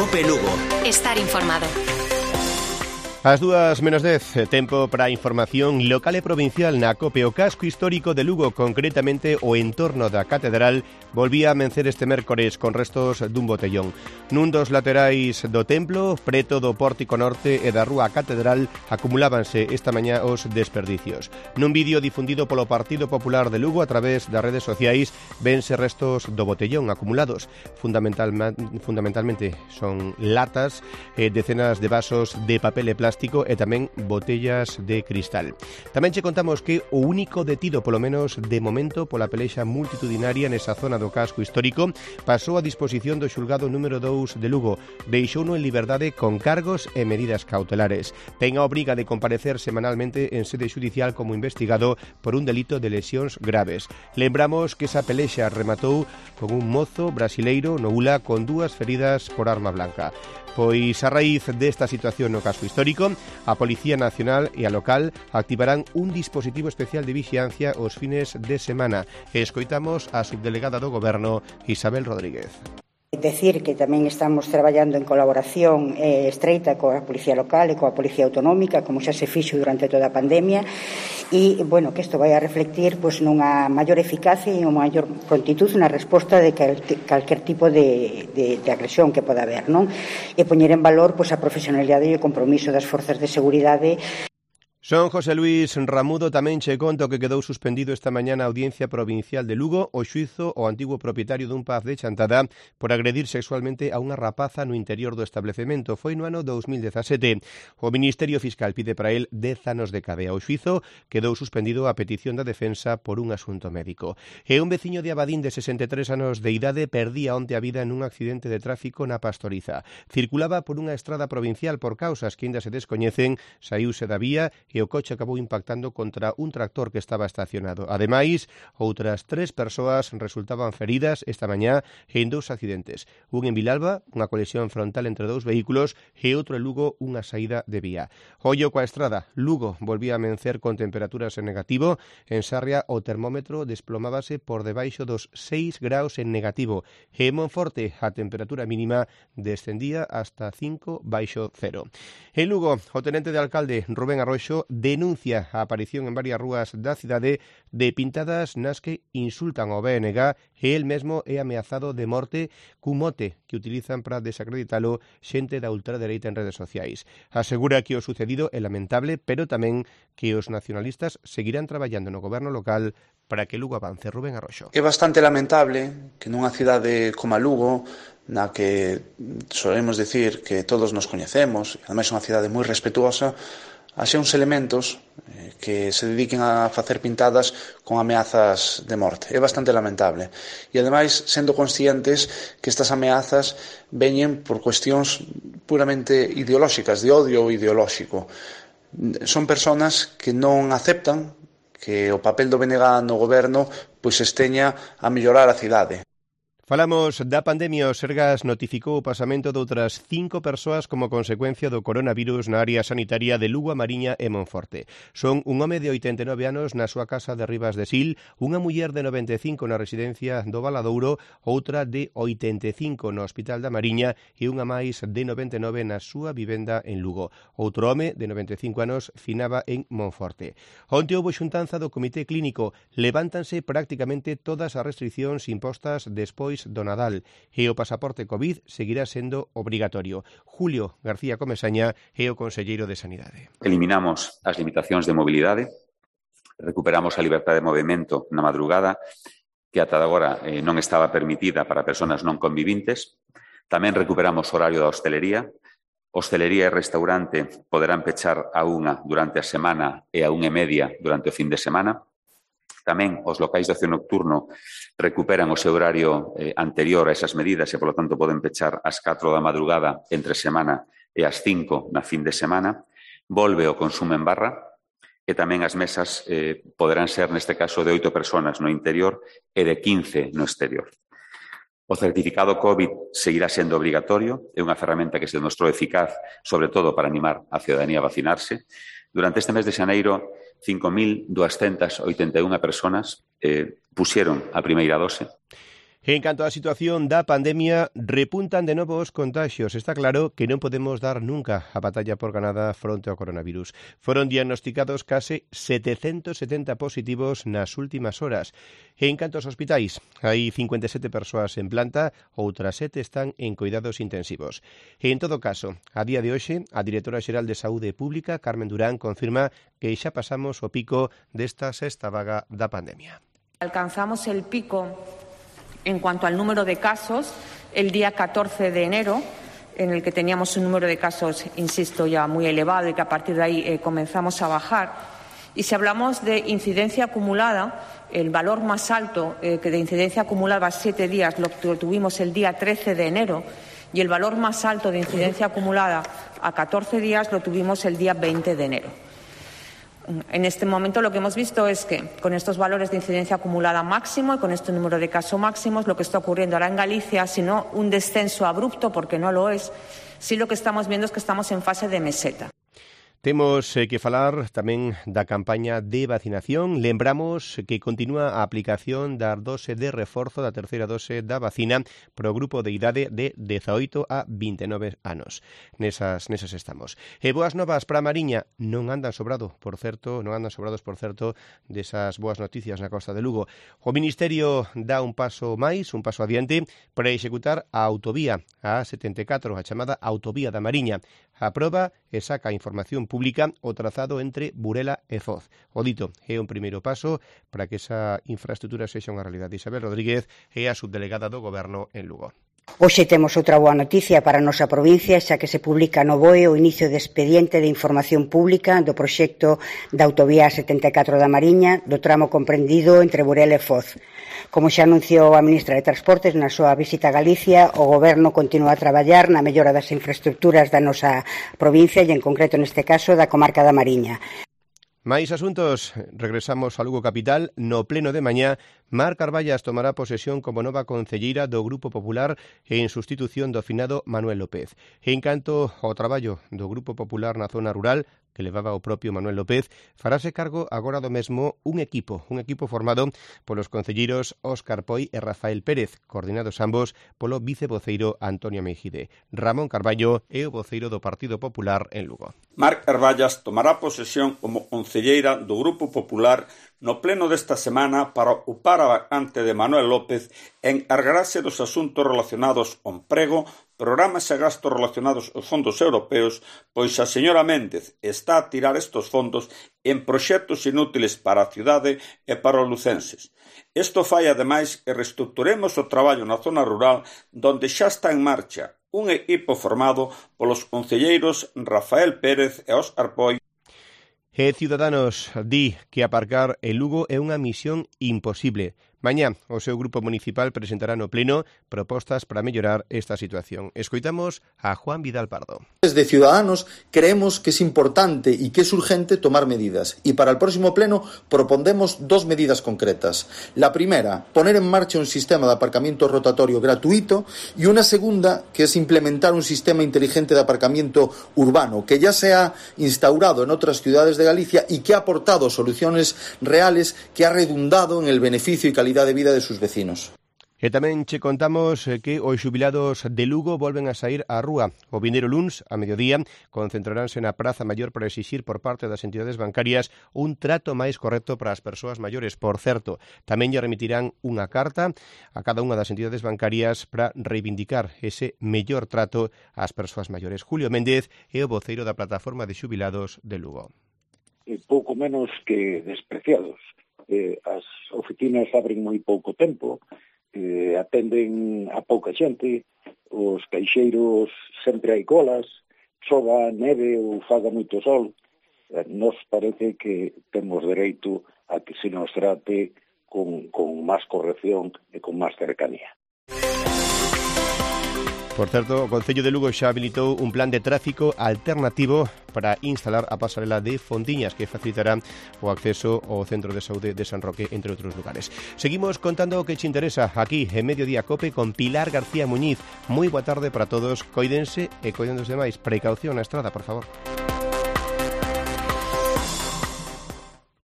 Cope Lugo. Estar informado. As 2:10, tempo para a información local e provincial na COPE. O casco histórico de Lugo, concretamente o entorno da Catedral, volvía a amencer este mércores con restos dun botellón. Nun dos laterais do templo, preto do pórtico norte e da rúa Catedral, acumulábanse esta mañá os desperdicios. Nun vídeo difundido polo Partido Popular de Lugo a través das redes sociais, vense restos do botellón acumulados. Fundamentalmente son latas, decenas de vasos de papel e plástico e tamén botellas de cristal. Tamén che contamos que o único detido, polo menos de momento, pola pelexa multitudinaria nesa zona do casco histórico, pasou a disposición do xulgado número 2 de Lugo. Deixouno en liberdade con cargos e medidas cautelares. Ten a obriga de comparecer semanalmente en sede xudicial como investigado por un delito de lesións graves. Lembramos que esa pelexa rematou con un mozo brasileiro no Ula con 2 feridas por arma blanca. Pois a raíz desta situación no casco histórico, a Policía Nacional e a local activarán un dispositivo especial de vixiancia os fines de semana. Escoitamos a subdelegada do Goberno, Isabel Rodríguez. Decir que tamén estamos traballando en colaboración estreita coa Policía Local e coa Policía Autonómica, como xa se fixo durante toda a pandemia, e, bueno, que isto vai a reflectir nunha maior eficacia e unha maior prontitud na resposta de calquer tipo de agresión que poda haber, non? E poñer en valor a profesionalidade e o compromiso das forzas de seguridade. Son José Luis Ramudo. Tamén che conto que quedou suspendido esta mañá na Audiencia Provincial de Lugo o xuízo ao antigo propietario dun pub de Chantada por agredir sexualmente a unha rapaza no interior do establecemento. Foi no ano 2017. O Ministerio Fiscal pide para él 10 anos de cadea. O xuízo quedou suspendido a petición da defensa por un asunto médico. E un veciño de Abadín de 63 anos de idade perdía onte a vida nun accidente de tráfico na Pastoriza. Circulaba por unha estrada provincial por causas que ainda se descoñecen, saíuse da vía e o coche acabou impactando contra un tractor que estaba estacionado. Ademais, outras 3 persoas resultaban feridas esta mañá en 2 accidentes. Un en Vilalba, unha colisión frontal entre 2 vehículos, e outro en Lugo, unha saída de vía. Ollo coa estrada. Lugo volvía a amencer con temperaturas en negativo. En Sarria o termómetro desplomábase por debaixo dos 6 graus en negativo. E en Monforte a temperatura mínima descendía hasta 5 baixo cero. En Lugo, o tenente de alcalde Rubén Arroxo denuncia a aparición en varias rúas da cidade de pintadas nas que insultan ao BNG e el mesmo é ameazado de morte cun mote que utilizan para desacreditalo xente da ultradereita en redes sociais. Asegura que o sucedido é lamentable, pero tamén que os nacionalistas seguirán traballando no goberno local para que Lugo avance. Rubén Arroxo. É bastante lamentable que nunha cidade como a Lugo, na que solemos decir que todos nos coñecemos, ademais é unha cidade moi respetuosa, haxe uns elementos que se dediquen a facer pintadas con ameazas de morte. É bastante lamentable. E, ademais, sendo conscientes que estas ameazas veñen por cuestións puramente ideolóxicas, de odio ideolóxico. Son persoas que non aceptan que o papel do BNG no goberno pois esteña a mellorar a cidade. Falamos da pandemia. O Sergas notificou o pasamento de outras 5 persoas como consecuencia do coronavirus na área sanitaria de Lugo, a Mariña e Monforte. Son un home de 89 anos na súa casa de Rivas de Sil, unha muller de 95 na residencia do Valadouro, outra de 85 no Hospital da Mariña e unha máis de 99 na súa vivenda en Lugo. Outro home de 95 anos finaba en Monforte. Onte houbo xuntanza do Comité Clínico. Levántanse prácticamente todas as restriccións impostas despois do Nadal e o pasaporte COVID seguirá sendo obrigatorio. Julio García Comesaña é o conselleiro de Sanidade. Eliminamos as limitacións de mobilidade, recuperamos a liberdade de movimento na madrugada, que ata agora non estaba permitida para persoas non convivintes. Tamén recuperamos o horario da hostelería. Hostelería e restaurante poderán pechar a 1 durante a semana e a 1:30 durante o fin de semana. Tamén os locais de ocio nocturno recuperan o seu horario anterior a esas medidas e, polo tanto, poden pechar ás 4 da madrugada entre semana e ás 5 na fin de semana. Volve o consumo en barra e tamén as mesas poderán ser, neste caso, de 8 persoas no interior e de 15 no exterior. O certificado COVID seguirá sendo obrigatorio, é unha ferramenta que se demostrou eficaz, sobre todo para animar a ciudadanía a vacinarse. Durante este mes de xaneiro, 5.281 persoas puxeron a primeira dose. En canto á situación da pandemia, repuntan de novo os contaxios. Está claro que non podemos dar nunca a batalla por ganada fronte ao coronavirus. Foron diagnosticados case 770 positivos nas últimas horas. En canto aos hospitais, hai 57 persoas en planta, outras 7 están en cuidados intensivos. En todo caso, a día de hoxe, a directora xeral de Saúde Pública, Carmen Durán, confirma que xa pasamos o pico desta sexta vaga da pandemia. Alcanzamos el pico en cuanto al número de casos el día 14 de enero, en el que teníamos un número de casos, insisto, ya muy elevado y que a partir de ahí comenzamos a bajar. Y si hablamos de incidencia acumulada, el valor más alto que de incidencia acumulada a 7 días lo tuvimos el día 13 de enero y el valor más alto de incidencia acumulada a 14 días lo tuvimos el día 20 de enero. En este momento lo que hemos visto es que con estos valores de incidencia acumulada máximo y con este número de casos máximos, lo que está ocurriendo ahora en Galicia, si no un descenso abrupto, porque no lo es, sí lo que estamos viendo es que estamos en fase de meseta. Temos que falar tamén da campaña de vacinación. Lembramos que continúa a aplicación da dose de reforzo da terceira dose da vacina pro grupo de idade de 18 a 29 anos. Nesas estamos. E boas novas para a Mariña. Non andan sobrados, por certo, desas boas noticias na costa de Lugo. O Ministerio dá un paso máis, un paso adiante, para executar a autovía, a A74, a chamada Autovía da Mariña. Aproba e saca a información pública o trazado entre Burela e Foz. O dito é un primeiro paso para que esa infraestrutura sexa unha realidade. Isabel Rodríguez é a subdelegada do Goberno en Lugo. Hoxe temos outra boa noticia para a nosa provincia, xa que se publica no BOE o inicio de expediente de información pública do proxecto da Autovía 74 da Mariña, do tramo comprendido entre Burela e Foz. Como xa anunciou a ministra de Transportes na súa visita a Galicia, o Goberno continúa a traballar na mellora das infraestructuras da nosa provincia e, en concreto, neste caso, da comarca da Mariña. Máis asuntos, regresamos a Lugo capital. No pleno de mañá, Mar Carballas tomará posesión como nova concelleira do Grupo Popular en sustitución do finado Manuel López. En canto ao traballo do Grupo Popular na zona rural, que levaba o propio Manuel López, farase cargo agora do mesmo un equipo formado polos concelleiros Óscar Poi e Rafael Pérez, coordinados ambos polo vicevoceiro Antonio Meijide. Ramón Carballo é o voceiro do Partido Popular en Lugo. Mar Carballas tomará posesión como concelleira do Grupo Popular no pleno desta semana para ocupar a vacante de Manuel López e encargarase dos asuntos relacionados ao emprego, programas e gastos relacionados aos fondos europeos, pois a señora Méndez está a tirar estes fondos en proxectos inútiles para a cidade e para os lucenses. Isto fai, ademais, que reestructuremos o traballo na zona rural, donde xa está en marcha un equipo formado polos concelleiros Rafael Pérez e Óscar Poi. E Ciudadanos di que aparcar en Lugo é unha misión imposible. Mañá o seu grupo municipal presentará no pleno propostas para mellorar esta situación. Escoitamos a Juan Vidal Pardo. Desde Ciudadanos creemos que es importante y que es urgente tomar medidas y para el próximo pleno propondremos 2 medidas concretas. La primera, poner en marcha un sistema de aparcamiento rotatorio gratuito y una segunda, que es implementar un sistema inteligente de aparcamiento urbano que ya se ha instaurado en otras ciudades de Galicia y que ha aportado soluciones reales, que ha redundado en el beneficio y calidad de vida de sus vecinos. E tamén che contamos que os xubilados de Lugo volven a sair á rúa. O vindeiro luns, a mediodía, concentraránse na Praza Maior para exixir por parte das entidades bancarias un trato máis correcto para as persoas maiores. Por certo, tamén lle remitirán unha carta a cada unha das entidades bancarias para reivindicar ese mellor trato ás persoas maiores. Julio Méndez é o voceiro da plataforma de xubilados de Lugo. Pouco menos que despreciados. As oficinas abren moi pouco tempo, atenden a pouca xente, os caixeiros sempre hai colas, chova, neve ou faga moito sol. Nos parece que temos dereito a que se nos trate con máis corrección e con máis cercanía. Por certo, o Concello de Lugo xa habilitou un plan de tráfico alternativo para instalar a pasarela de Fontiñas que facilitará o acceso ao Centro de Saúde de San Roque, entre outros lugares. Seguimos contando o que che interesa aquí en Mediodía Cope con Pilar García Muñiz. Moi boa tarde para todos, coídense e coiden dos demais. Precaución na estrada, por favor.